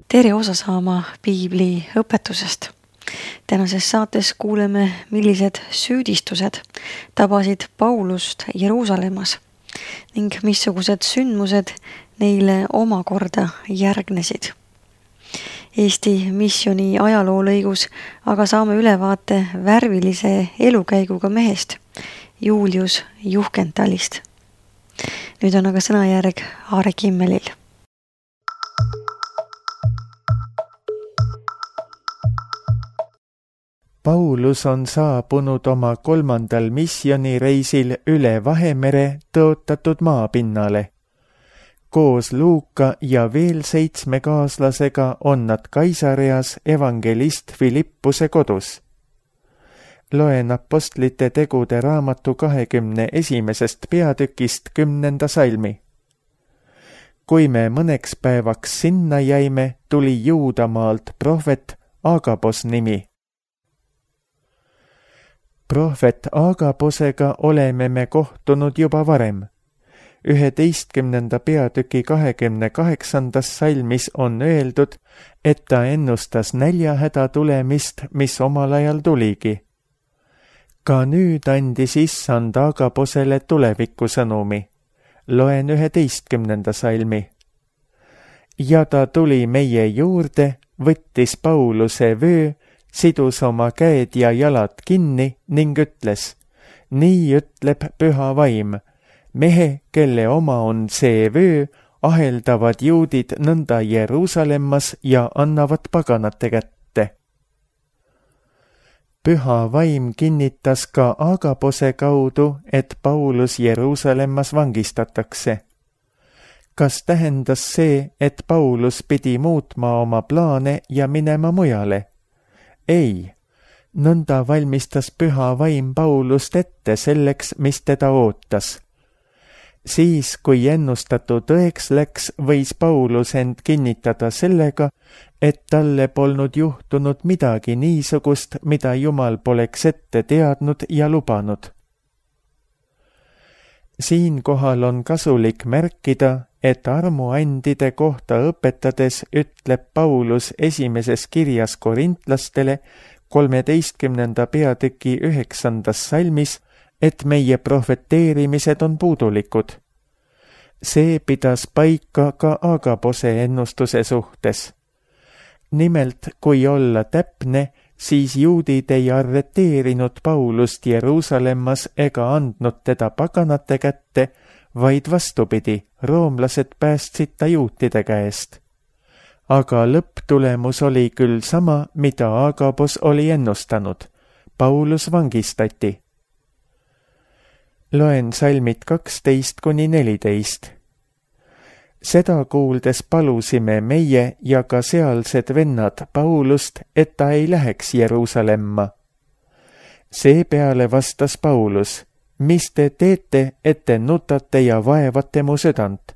tere osa saama piibli õpetusest. Tänases saates kuuleme, millised süüdistused tabasid Paulust Jeruusalemmas ning missugused sündmused neile omakorda järgnesid. Eesti missiooni ajaloolõigus aga saame ülevaate värvilise elukäiguga mehest, Julius Juhkentalist. Nüüd on aga sõnajärg Aare Kimmelil. Paulus on saabunud oma 3. missioonireisil üle Vahemere tõotatud maapinnale. Koos Luuka ja veel 7 kaaslasega on nad Kaisareas evangelist Filippuse kodus. Loen Apostlite tegude raamatu 21. peatükist 10. salmi. Kui me mõneks päevaks sinna jäime, tuli Juudamaalt prohvet Agabos nimi. Prohvet Agaposega oleme me kohtunud juba varem. 11. peatüki 28. salmis on öeldud, et ta ennustas näljahäda tulemist, mis omal ajal tuligi. Ka nüüd andis issand Agaposele tulevikusõnumi. Loen 11. salmi. Ja ta tuli meie juurde, võttis Pauluse vöö, sidus oma käed ja jalad kinni ning ütles, nii ütleb püha vaim, mehe, kelle oma on see vöö, aheldavad juudid nõnda Jeruusalemmas ja annavad paganate kätte. Püha vaim kinnitas ka Agabose kaudu, et Paulus Jeruusalemmas vangistatakse. Kas tähendas see, et Paulus pidi muutma oma plaane ja minema mujale? Ei, nõnda valmistas püha vaim Paulust ette selleks, mis teda ootas. Siis, kui ennustatu tõeks läks, võis Paulus end kinnitada sellega, et talle polnud juhtunud midagi niisugust, mida Jumal poleks ette teadnud ja lubanud. Siinkohal on kasulik märkida, et armuandide kohta õpetades ütleb Paulus esimeses kirjas korintlastele 13. peatüki 9. salmis, et meie prohveteerimised on puudulikud. See pidas paika ka Agabose ennustuse suhtes. Nimelt, kui olla täpne, siis juudid ei arreteerinud Paulust Jeruusalemmas ega andnud teda paganate kätte, vaid vastupidi, roomlased päästsid ta juutide käest. Aga lõpptulemus oli küll sama, mida Agabos oli ennustanud. Paulus vangistati. Loen salmid 12-14. Seda kuuldes palusime meie ja ka sealsed vennad Paulust, et ta ei läheks Jeruusalemma. Seepeale vastas Paulus, mis te teete, et te nutate ja vaevate mu südant,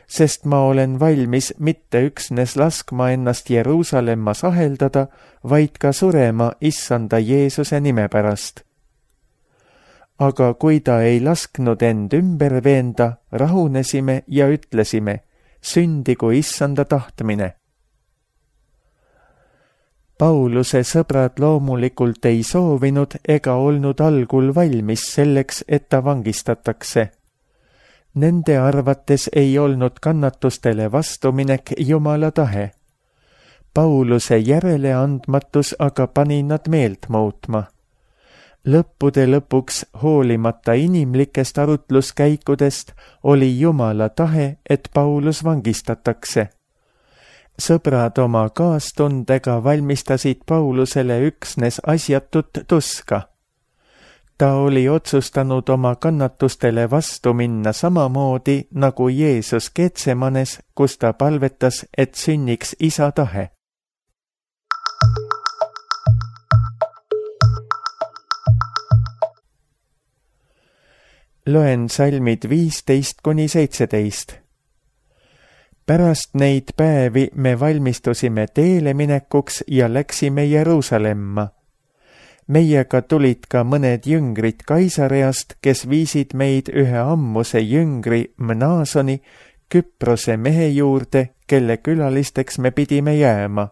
sest ma olen valmis mitte üksnes laskma ennast Jeruusalemmas aheldada, vaid ka surema issanda Jeesuse nime pärast. Aga kui ta ei lasknud end ümber veenda, rahunesime ja ütlesime, sündigu issanda tahtmine. Pauluse sõbrad loomulikult ei soovinud ega olnud algul valmis selleks, et ta vangistatakse. Nende arvates ei olnud kannatustele vastuminek Jumala tahe. Pauluse järeleandmatus aga pani nad meelt muutma. Lõppude lõpuks, hoolimata inimlikest arutluskäikudest, oli Jumala tahe, et Paulus vangistatakse. Sõbrad oma kaastundega valmistasid Paulusele üksnes asjatut tuska. Ta oli otsustanud oma kannatustele vastu minna samamoodi nagu Jeesus Getsemanes, kus ta palvetas, et sünniks isa tahe. Loen salmid 15-17. Pärast neid päevi me valmistusime teele minekuks ja läksime Jeruusalemma. Meiega tulid ka mõned jüngrid Kaisareast, kes viisid meid ühe ammuse jüngri Mnaasoni, Küprose mehe juurde, kelle külalisteks me pidime jääma.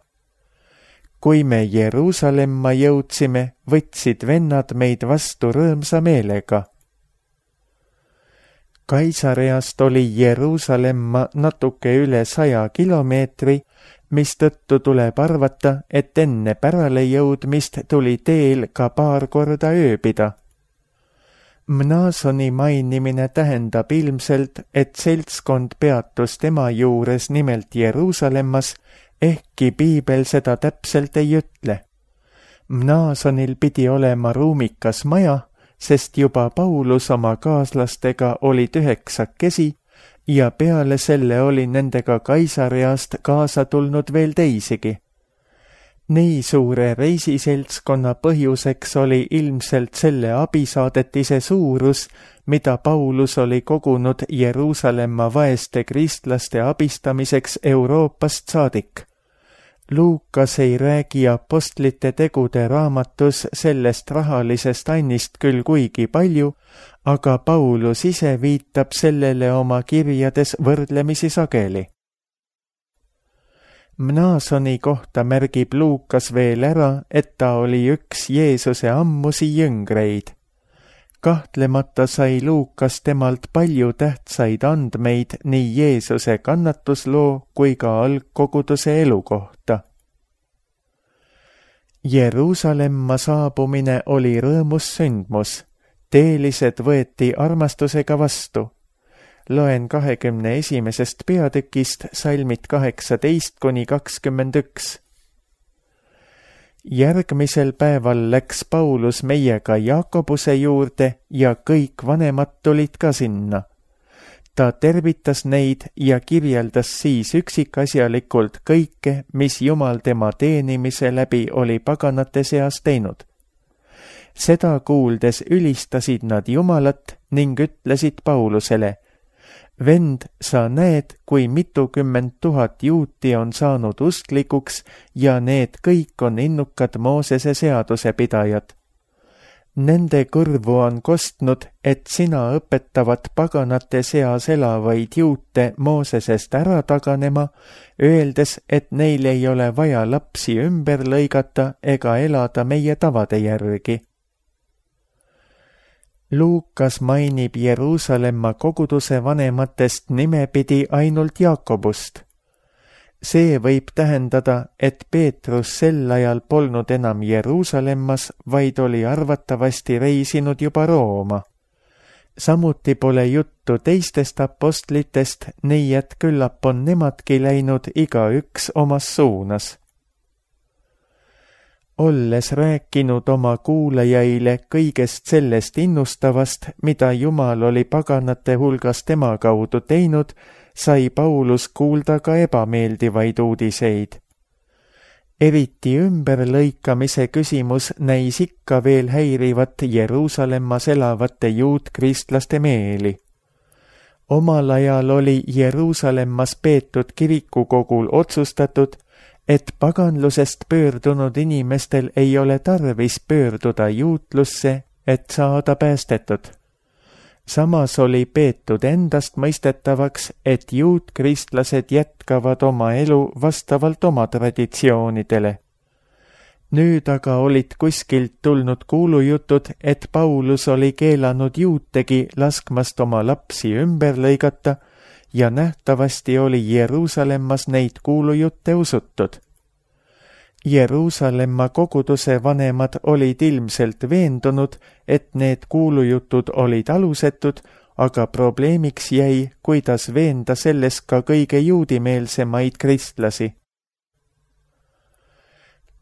Kui me Jeruusalemma jõudsime, võtsid vennad meid vastu rõõmsa meelega. Kaisareast oli Jeruusalemma natuke üle 100 kilomeetri, mistõttu tuleb arvata, et enne pärale jõudmist tuli teel ka paar korda ööbida. Mnaasoni mainimine tähendab ilmselt, et seltskond peatus tema juures nimelt Jeruusalemmas, ehkki piibel seda täpselt ei ütle. Mnaasonil pidi olema ruumikas maja, sest juba Paulus oma kaaslastega olid 9 ja peale selle oli nendega Kaisareast kaasa tulnud veel teisigi. Nii suure reisiseltskonna põhjuseks oli ilmselt selle abisaadetise suurus, mida Paulus oli kogunud Jeruusalemma vaeste kristlaste abistamiseks Euroopast saadik. Luukas ei räägi apostlite tegude raamatus sellest rahalisest annist küll kuigi palju, aga Paulus ise viitab sellele oma kirjades võrdlemisi sageli. Mnaasoni kohta märgib Luukas veel ära, et ta oli üks Jeesuse ammusi jüngreid. Kahtlemata sai Luukas temalt palju tähtsaid andmeid nii Jeesuse kannatusloo kui ka algkoguduse elu kohta. Jeruusalemma saabumine oli rõõmus sündmus. Teelised võeti armastusega vastu. Loen 21. peatükist salmid 18-21. Järgmisel päeval läks Paulus meiega Jaakobuse juurde ja kõik vanemad tulid ka sinna. Ta tervitas neid ja kirjeldas siis üksikasjalikult kõike, mis Jumal tema teenimise läbi oli paganate seas teinud. Seda kuuldes ülistasid nad Jumalat ning ütlesid Paulusele: Vend, sa näed, kui mitukümmend 000 juuti on saanud usklikuks ja need kõik on innukad Moosese seaduse pidajad. Nende kõrvu on kostnud, et sina õpetavad paganate seas elavaid juute Moosesest ära taganema, öeldes, et neil ei ole vaja lapsi ümber lõigata ega elada meie tavade järgi. Luukas mainib Jeruusalemma koguduse vanematest nimepidi ainult Jaakobust. See võib tähendada, et Peetrus sel ajal polnud enam Jeruusalemmas, vaid oli arvatavasti reisinud juba Rooma. Samuti pole juttu teistest apostlitest, nii et küllap on nemadki läinud igaüks omas suunas. Olles rääkinud oma kuulajaile kõigest sellest innustavast, mida Jumal oli paganate hulgas tema kaudu teinud, sai Paulus kuulda ka ebameeldivaid uudiseid. Eriti ümberlõikamise küsimus näis ikka veel häirivat Jeruusalemmas elavate juutkristlaste meeli. Omal ajal oli Jeruusalemmas peetud kirikukogul otsustatud, et paganlusest pöördunud inimestel ei ole tarvis pöörduda juutlusse, et saada päästetud. Samas oli peetud endastmõistetavaks, et juutkristlased jätkavad oma elu vastavalt oma traditsioonidele. Nüüd aga olid kuskilt tulnud kuulujutud, et Paulus oli keelanud juutegi laskmast oma lapsi ümber lõigata, ja nähtavasti oli Jeruusalemmas neid kuulujutte usutud. Jeruusalemma koguduse vanemad olid ilmselt veendunud, et need kuulujutud olid alusetud, aga probleemiks jäi, kuidas veenda selles ka kõige juudimeelsemaid kristlasi.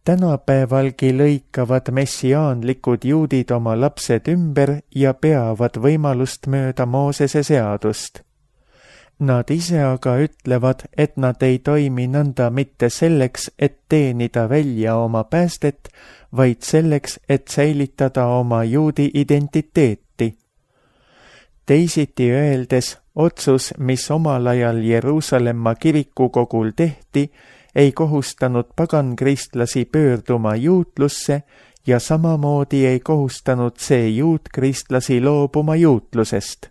Tänapäevalgi lõikavad messiaanlikud juudid oma lapsed ümber ja peavad võimalust mööda Moosese seadust. Nad ise aga ütlevad, et nad ei toimi nõnda mitte selleks, et teenida välja oma päästet, vaid selleks, et säilitada oma juudi identiteeti. Teisiti öeldes, otsus, mis omal ajal Jeruusalemma kirikukogul tehti, ei kohustanud pagankristlasi pöörduma juutlusse ja samamoodi ei kohustanud see juutkristlasi loobuma juutlusest.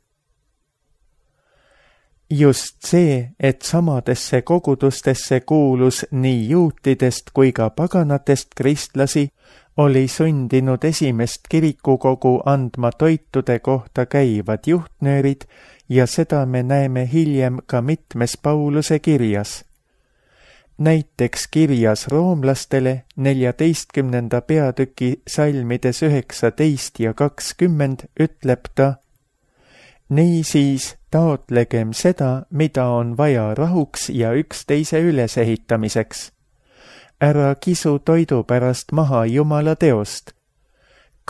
Just see, et samadesse kogudustesse kuulus nii juutidest kui ka paganatest kristlasi, oli sundinud esimest kirikukogu andma toitude kohta käivad juhtnöörid ja seda me näeme hiljem ka mitmes Pauluse kirjas. Näiteks kirjas roomlastele 14. peatüki salmides 19 ja 20 ütleb ta: niisiis taotlegem seda, mida on vaja rahuks ja üksteise ülesehitamiseks. Ära kisu toidu pärast maha Jumala teost.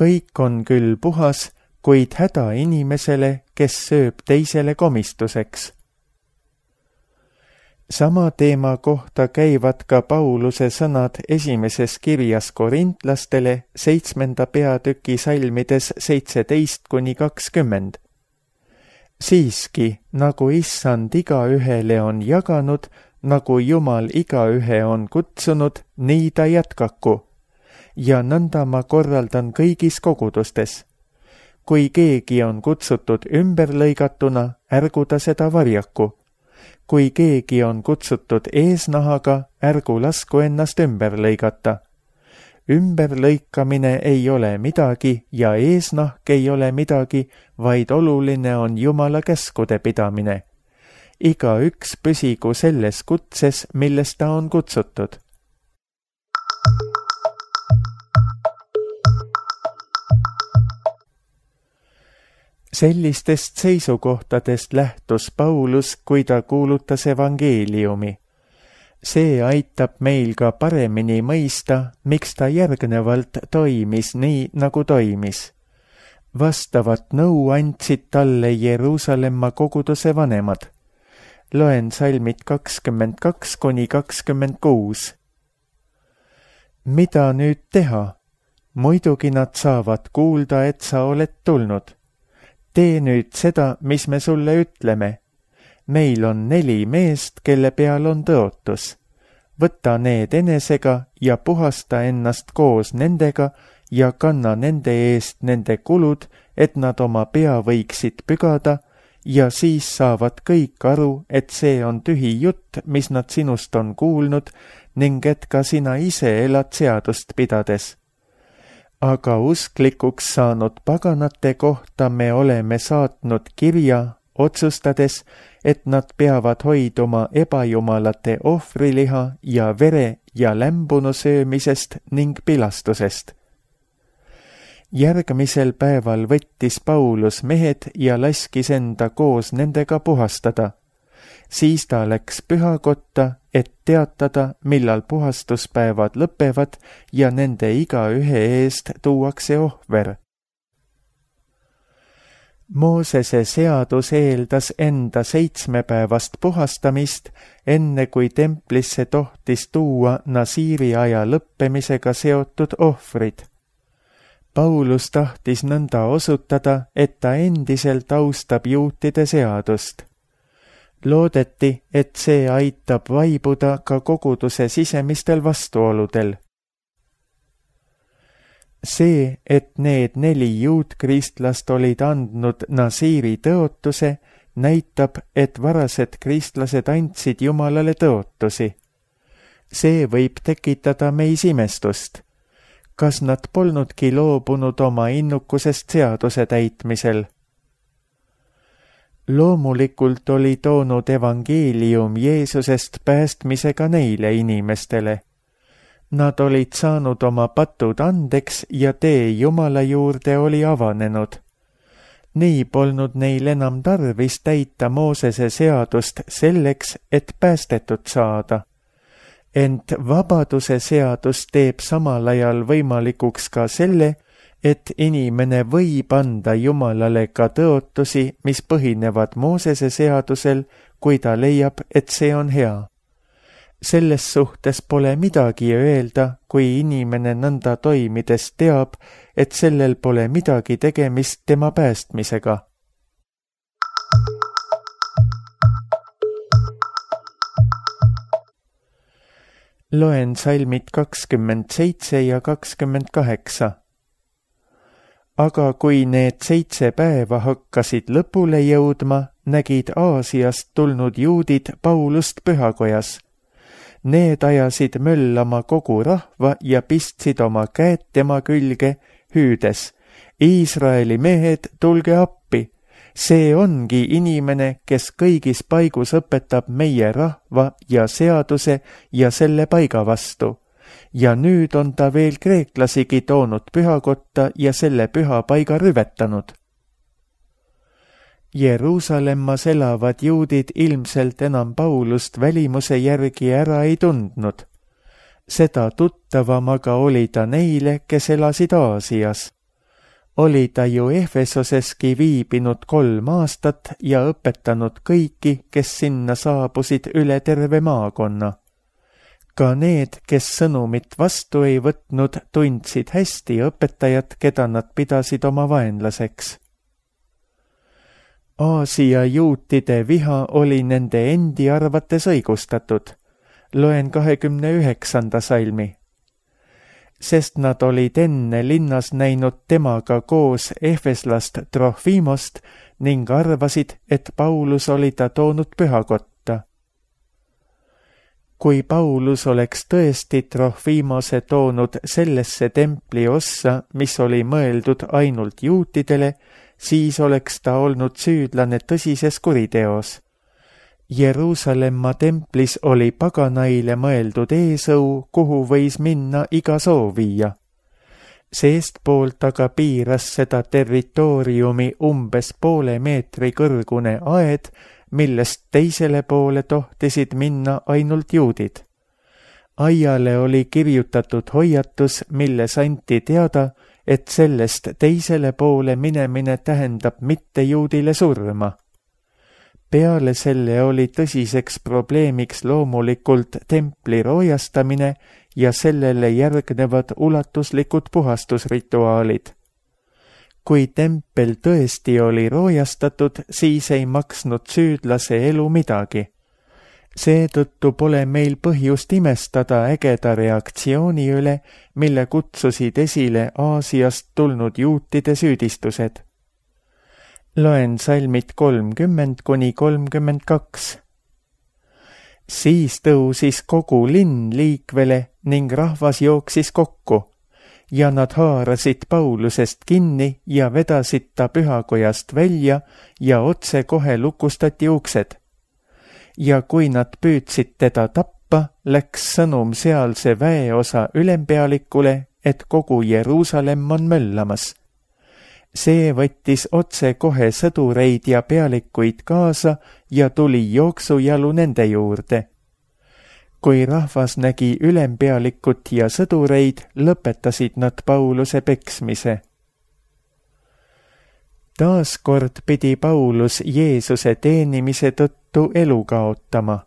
Kõik on küll puhas, kuid häda inimesele, kes sööb teisele komistuseks. Sama teema kohta käivad ka Pauluse sõnad esimeses kirjas korintlastele 7. peatüki salmides 17–20. Siiski, nagu issand igaühele on jaganud, nagu Jumal igaühe on kutsunud, nii ta jätkaku. Ja nõnda ma korraldan kõigis kogudustes. Kui keegi on kutsutud ümberlõigatuna, ärgu ta seda varjaku. Kui keegi on kutsutud eesnahaga, ärgu lasku ennast ümber lõigata. Ümberlõikamine ei ole midagi ja eesnahk ei ole midagi, vaid oluline on Jumala käskude pidamine. Igaüks püsigu selles kutses, milles ta on kutsutud. Sellistest seisukohtadest lähtus Paulus, kui ta kuulutas evangeeliumi. See aitab meil ka paremini mõista, miks ta järgnevalt toimis nii, nagu toimis. Vastavat nõu andsid talle Jeruusalemma koguduse vanemad. Loen salmid 22–26. Mida nüüd teha? Muidugi nad saavad kuulda, et sa oled tulnud. Tee nüüd seda, mis me sulle ütleme. Meil on 4 meest, kelle peal on tõotus. Võta need enesega ja puhasta ennast koos nendega ja kanna nende eest nende kulud, et nad oma pea võiksid pügada, ja siis saavad kõik aru, et see on tühi jutt, mis nad sinust on kuulnud, ning et ka sina ise elad seadust pidades. Aga usklikuks saanud paganate kohta me oleme saatnud kirja, otsustades, et nad peavad hoiduma ebajumalate ohvriliha ja vere ja lämbunu söömisest ning pilastusest. Järgmisel päeval võttis Paulus mehed ja laskis enda koos nendega puhastada. Siis ta läks pühakotta, et teatada, millal puhastuspäevad lõpevad ja nende igaühe eest tuuakse ohver. Moosese seadus eeldas enda 7-päevast puhastamist, enne kui templisse tohtis tuua Nasiiri aja lõppemisega seotud ohvrid. Paulus tahtis nõnda osutada, et ta endiselt austab juutide seadust. Loodeti, et see aitab vaibuda ka koguduse sisemistel vastuoludel. See, et need 4 juutkristlast olid andnud Nasiiri tõotuse, näitab, et varased kristlased andsid Jumalale tõotusi. See võib tekitada meis imestust. Kas nad polnudki loobunud oma innukusest seaduse täitmisel? Loomulikult oli toonud evangeelium Jeesusest päästmisega neile inimestele. Nad olid saanud oma patud andeks ja tee Jumala juurde oli avanenud. Nii polnud neil enam tarvis täita Moosese seadust selleks, et päästetud saada. Ent vabaduse seadus teeb samal ajal võimalikuks ka selle, et inimene võib anda Jumalale ka tõotusi, mis põhinevad Moosese seadusel, kui ta leiab, et see on hea. Selles suhtes pole midagi öelda, kui inimene nõnda toimides teab, et sellel pole midagi tegemist tema päästmisega. Loen salmid 27 ja 28. Aga kui need 7 päeva hakkasid lõpule jõudma, nägid Aasiast tulnud juudid Paulust pühakojas. Need ajasid möllama kogu rahva ja pistsid oma käed tema külge, hüüdes: Iisraeli mehed, tulge appi! See ongi inimene, kes kõigis paigus õpetab meie rahva ja seaduse ja selle paiga vastu. Ja nüüd on ta veel kreeklasigi toonud pühakotta ja selle püha paiga rüvetanud. Jeruusalemmas elavad juudid ilmselt enam Paulust välimuse järgi ära ei tundnud. Seda tuttavam aga oli ta neile, kes elasid Aasias. Oli ta ju Efesoseski viibinud 3 aastat ja õpetanud kõiki, kes sinna saabusid üle terve maakonna. Ka need, kes sõnumit vastu ei võtnud, tundsid hästi õpetajat, keda nad pidasid oma vaenlaseks. Aasia juutide viha oli nende endi arvates õigustatud. Loen 29. salmi. Sest nad olid enne linnas näinud temaga koos efeslast Trofimost ning arvasid, et Paulus oli ta toonud pühakotta. Kui Paulus oleks tõesti Trofimose toonud sellesse templi ossa, mis oli mõeldud ainult juutidele, siis oleks ta olnud süüdlane tõsises kuriteos. Jeruusalemma templis oli paganaile mõeldud eesõu, kuhu võis minna iga soovija. Seestpoolt aga piiras seda territooriumi umbes poole meetri kõrgune aed, millest teisele poole tohtisid minna ainult juudid. Aiale oli kirjutatud hoiatus, milles anti teada, et sellest teisele poole minemine tähendab mittejuudile surma. Peale selle oli tõsiseks probleemiks loomulikult templi roojastamine ja sellele järgnevad ulatuslikud puhastusrituaalid. Kui tempel tõesti oli roojastatud, siis ei maksnud süüdlase elu midagi. Seetõttu pole meil põhjust imestada ägeda reaktsiooni üle, mille kutsusid esile Aasiast tulnud juutide süüdistused. Loen salmid 30–32. Siis tõusis kogu linn liikvele ning rahvas jooksis kokku ja nad haarasid Paulusest kinni ja vedasid ta pühakojast välja ja otse kohe lukustati uksed. Ja kui nad püüdsid teda tappa, läks sõnum sealse väeosa ülempealikule, et kogu Jeruusalemm on möllamas. See võttis otse kohe sõdureid ja pealikuid kaasa ja tuli jooksujalu nende juurde. Kui rahvas nägi ülempealikut ja sõdureid, lõpetasid nad Pauluse peksmise. Taaskord pidi Paulus Jeesuse teenimise tõttu elu kaotama.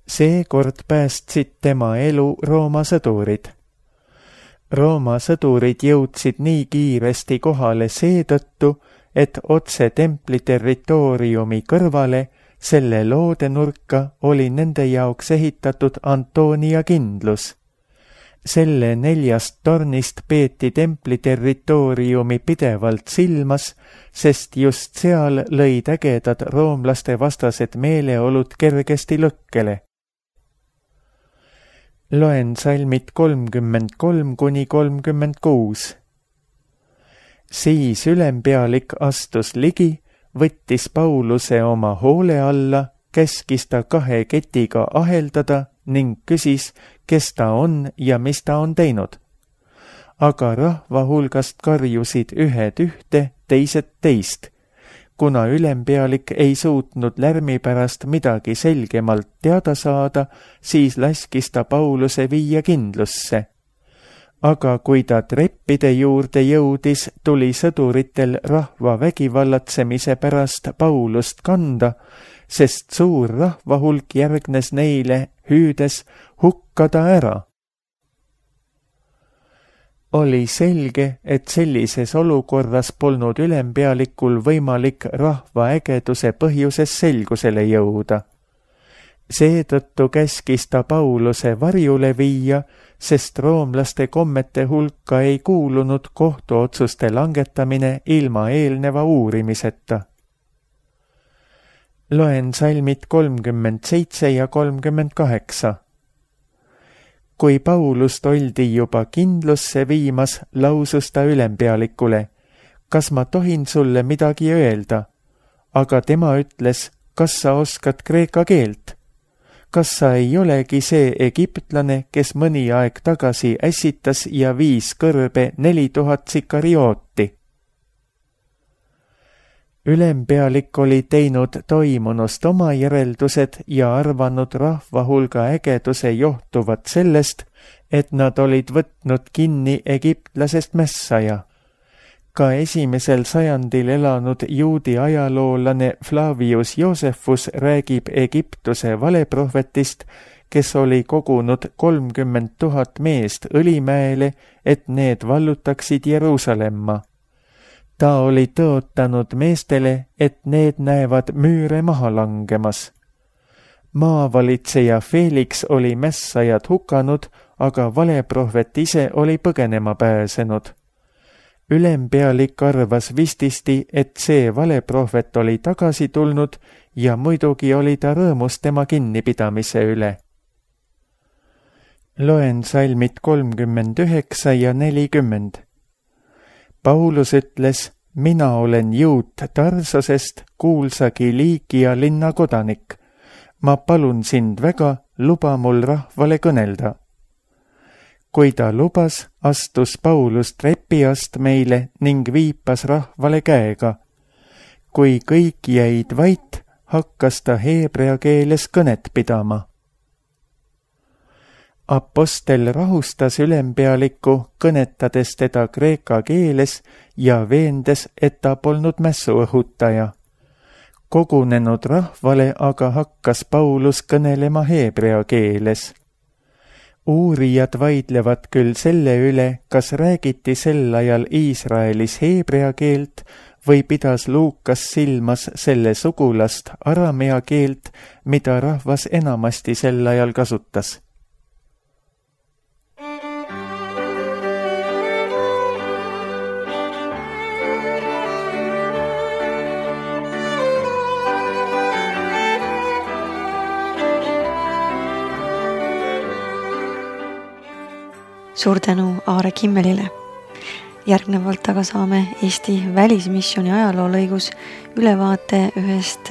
Seekord päästsid tema elu Rooma sõdurid. Rooma sõdurid jõudsid nii kiiresti kohale seetõttu, et otse templi territooriumi kõrvale, selle loodenurka oli nende jaoks ehitatud Antonia kindlus. Selle 4 tornist peeti templi territooriumi pidevalt silmas, sest just seal lõid ägedad roomlaste vastased meeleolud kergesti lõkkele. Loen salmid 33–36. Siis ülempealik astus ligi, võttis Pauluse oma hoole alla, käskis ta 2 ketiga aheldada ning küsis, kes ta on ja mis ta on teinud. Aga rahva hulgast karjusid ühed ühte, teised teist. Kuna ülempealik ei suutnud lärmi pärast midagi selgemalt teada saada, siis laskis ta Pauluse viia kindlusse. Aga kui ta treppide juurde jõudis, tuli sõduritel rahva vägivallatsemise pärast Paulust kanda, sest suur rahvahulk järgnes neile, hüüdes hukkada ära. Oli selge, et sellises olukorras polnud ülempealikul võimalik rahva ägeduse põhjuses selgusele jõuda. Seetõttu käskis ta Pauluse varjule viia, sest roomlaste kommete hulka ei kuulunud kohtuotsuste langetamine ilma eelneva uurimiseta. Loen salmid 37 ja 38. Kui Paulust oldi juba kindlusse viimas, lausus ta ülempealikule: kas ma tohin sulle midagi öelda? Aga tema ütles: kas sa oskad kreeka keelt? Kas sa ei olegi see egiptlane, kes mõni aeg tagasi ässitas ja viis kõrbe 4000 sikarioti? Ülempealik oli teinud toimunust oma järeldused ja arvanud rahva hulga ägeduse johtuvat sellest, et nad olid võtnud kinni egiptlasest mässaja. Ka esimesel sajandil elanud juudi ajaloolane Flavius Josephus räägib Egiptuse valeprohvetist, kes oli kogunud 30 000 meest Õlimäele, et need vallutaksid Jeruusalemma. Ta oli tõotanud meestele, et need näevad müüre maha langemas. Maavalitseja Felix oli mässajad hukanud, aga valeprohvet ise oli põgenema pääsenud. Ülempealik arvas vististi, et see valeprohvet oli tagasi tulnud ja muidugi oli ta rõõmus tema kinnipidamise üle. Loen salmid 39 ja 40. Paulus ütles: mina olen juut Tarsosest, kuulsa Kiliikia linna kodanik. Ma palun sind väga, luba mul rahvale kõnelda. Kui ta lubas, astus Paulus trepiast meile ning viipas rahvale käega. Kui kõik jäid vait, hakkas ta heebrea keeles kõnet pidama. Apostel rahustas ülempealikku, kõnetades teda kreeka keeles ja veendes, et ta polnud mässuõhutaja. Kogunenud rahvale aga hakkas Paulus kõnelema heebrea keeles. Uurijad vaidlevad küll selle üle, kas räägiti sel ajal Iisraelis heebrea keelt või pidas Luukas silmas selle sugulast aramea keelt, mida rahvas enamasti sel ajal kasutas. Suur tänu Aare Kimmelile. Järgnevalt aga saame Eesti välismissiooni ajaloolõigus ülevaate ühest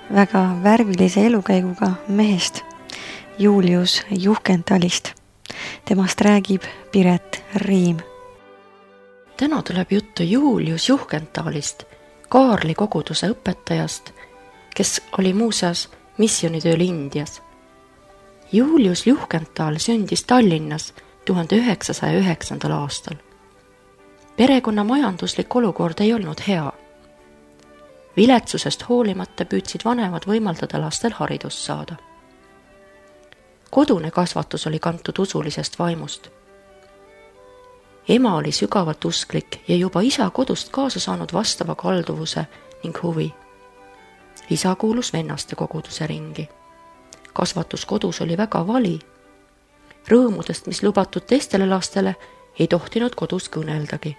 väga värvilise elukäiguga mehest, Julius Juhkentalist. Temast räägib Piret Riim. Täna tuleb juttu Julius Juhkentalist, Kaarli koguduse õpetajast, kes oli muuseas missioonitööl Indias. Julius Juhkental sündis Tallinnas 1909. aastal. Perekonna majanduslik olukord ei olnud hea. Viletsusest hoolimata püüdsid vanemad võimaldada lastel haridust saada. Kodune kasvatus oli kantud usulisest vaimust. Ema oli sügavalt usklik ja juba isa kodust kaasa saanud vastava kalduvuse ning huvi. Isa kuulus vennaste koguduse ringi. Kasvatus kodus oli väga vali. Rõõmudest, mis lubatud teistele lastele, ei tohtinud kodus kõneldagi.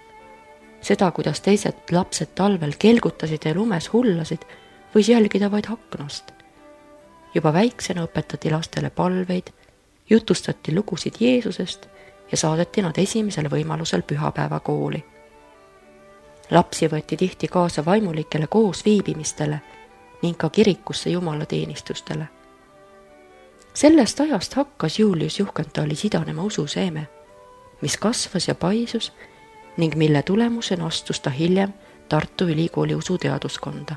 Seda, kuidas teised lapsed talvel kelgutasid ja lumes hullasid, võis jälgida vaid aknast. Juba väiksena õpetati lastele palveid, jutustati lugusid Jeesusest ja saadeti nad esimesel võimalusel pühapäeva kooli. Lapsi võeti tihti kaasa vaimulikele koos viibimistele ning ka kirikusse jumalateenistustele. Sellest ajast hakkas Julius Juhkentali sidanema ususeeme, mis kasvas ja paisus ning mille tulemusena astus ta hiljem Tartu Ülikooli usuteaduskonda.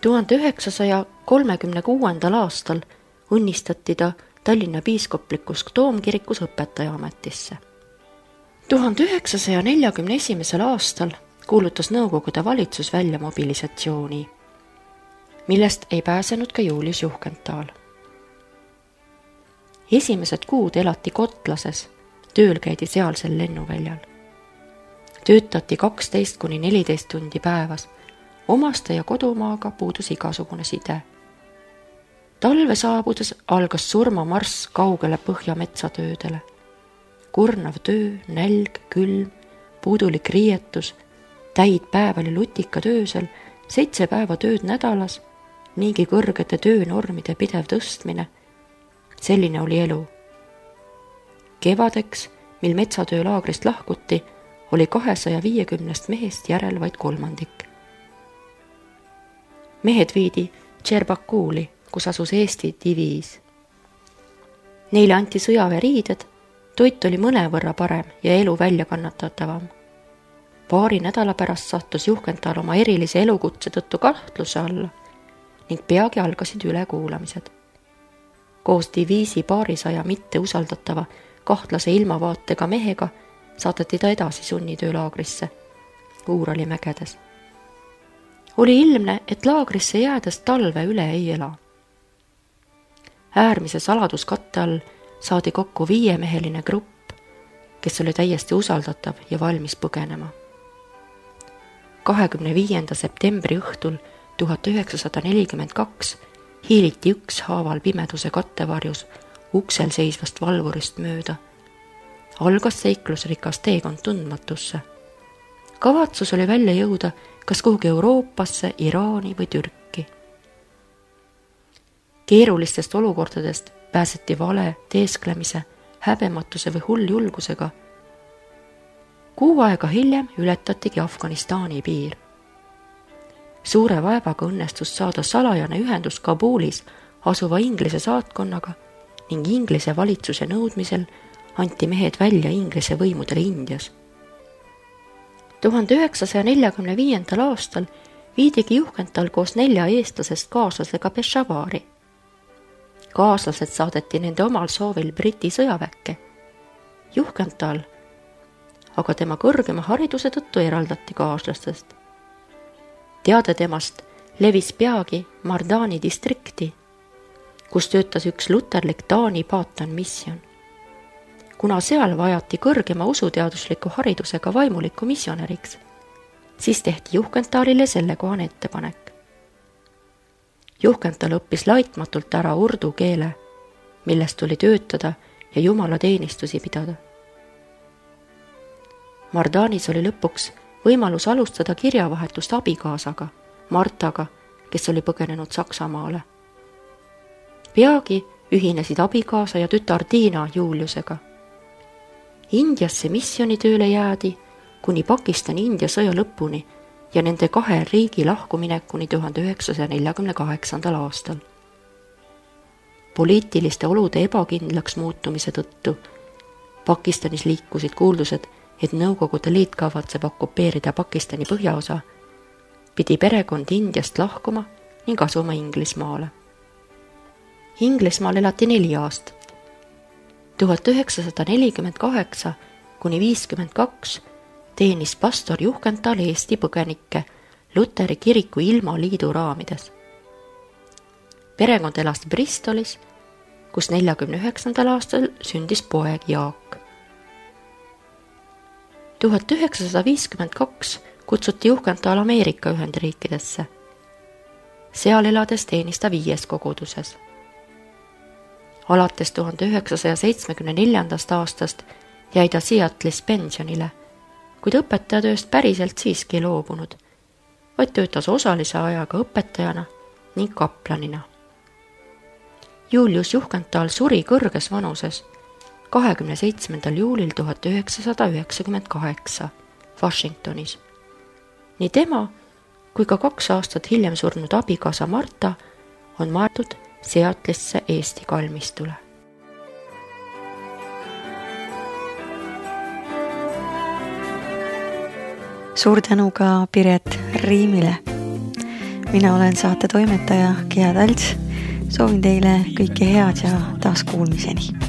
1936. aastal õnnistati ta Tallinna piiskoplikus toomkirikus õpetaja ametisse. 1941. aastal kuulutas Nõukogude valitsus välja mobilisatsiooni, millest ei pääsenud ka Julius Juhkental. Esimesed kuud elati Kotlases, tööl käidi sealsel lennuväljal. Töötati 12–14 tundi päevas, omaste ja kodumaaga puudus igasugune side. Talve saabudes algas surmamarss kaugele põhjametsatöödele. Kurnav töö, nälg, külm, puudulik riietus, täid päeval ja lutikad öösel, 7 päeva tööd nädalas niigi kõrgete töönormide pidev tõstmine. Selline oli elu. Kevadeks, mil metsatöölaagrist lahkuti, oli 250 mehest järel vaid kolmandik. Mehed viidi Tšerbakuuli, kus asus Eesti diviis. Neile anti sõjaväeriided, toit oli mõnevõrra parem ja elu välja kannatatavam. Paari nädala pärast sattus Juhkenthal oma erilise elukutse tõttu kahtluse alla ning peagi algasid ülekuulamised. Koos diviisi 200 mitte usaldatava kahtlase ilmavaatega mehega saadeti ta edasi sunnitöölaagrisse Uurali mägedes. Oli ilmne, et laagrisse jäädes talve üle ei ela. Äärmise saladuskatte all saadi kokku 5-meheline grupp, kes oli täiesti usaldatav ja valmis põgenema. 25. septembri õhtul 1942 hiiliti ükshaaval pimeduse kattevarjus uksel seisvast valvurist mööda. Algas seiklusrikas teekond tundmatusse. Kavatsus oli välja jõuda kas kuhugi Euroopasse, Iraani või Türki. Keerulistest olukordadest pääseti vale, teesklemise, häbematuse või hulljulgusega. Kuu aega hiljem ületatigi Afganistani piir. Suure vaevaga õnnestus saada salajane ühendus Kabulis asuva Inglise saatkonnaga ning Inglise valitsuse nõudmisel anti mehed välja Inglise võimudele Indias. 1945. aastal viidigi Juhkenthal koos 4 eestlasest kaaslasega Peshavari. Kaaslased saadeti nende omal soovil Briti sõjaväkke. Juhkenthal aga tema kõrgema hariduse tõttu eraldati kaaslastest. Teade temast levis peagi Mardani distrikti, kus töötas üks luterlik Taani Paatan misjon. Kuna seal vajati kõrgema usuteadusliku haridusega vaimuliku missionäriks, siis tehti Juhkenthalile sellekohane ettepanek. Juhkenthal õppis laitmatult ära urdu keele, millest tuli töötada ja jumalateenistusi pidada. Mardanis oli lõpuks võimalus alustada kirjavahetust abikaasaga, Martaga, kes oli põgenenud Saksamaale. Peagi ühinesid abikaasa ja tütar Tiina Juliusega. Indiasse missionitööle jäädi kuni Pakistani-India sõja lõpuni ja nende 2 riigi lahkuminekuni 1948. aastal. Poliitiliste olude ebakindlaks muutumise tõttu Pakistanis liikusid kuuldused, et Nõukogude Liit kavatseb okupeerida Pakistani põhjaosa, pidi perekond Indiast lahkuma ning asuma Inglismaale. Inglismaal elati 4 aastat. 1948 kuni 52 teenis pastor Juhkenthal Eesti põgenikke Luteri kiriku ilmaliidu raamides. Perekond elas Bristolis, kus 49. aastal sündis poeg Jaak. 1952 kutsuti Juhkenthal Ameerika Ühendriikidesse. Seal elades teenis ta 5 koguduses. Alates 1974. aastast jäi ta Seattle'is pensionile, kuid õpetajatööst päriselt siiski loobunud, vaid töötas osalise ajaga õpetajana ning kaplanina. Julius Juhkenthal suri kõrges vanuses 27. juulil 1998 Washingtonis. Nii tema kui ka 2 aastat hiljem surnud abikaasa Marta on maetud Seattle'isse Eesti kalmistule. Suur tänu ka Piret Riimile. Mina olen saate toimetaja Gea Talts. Soovin teile kõike head ja taas kuulmiseni.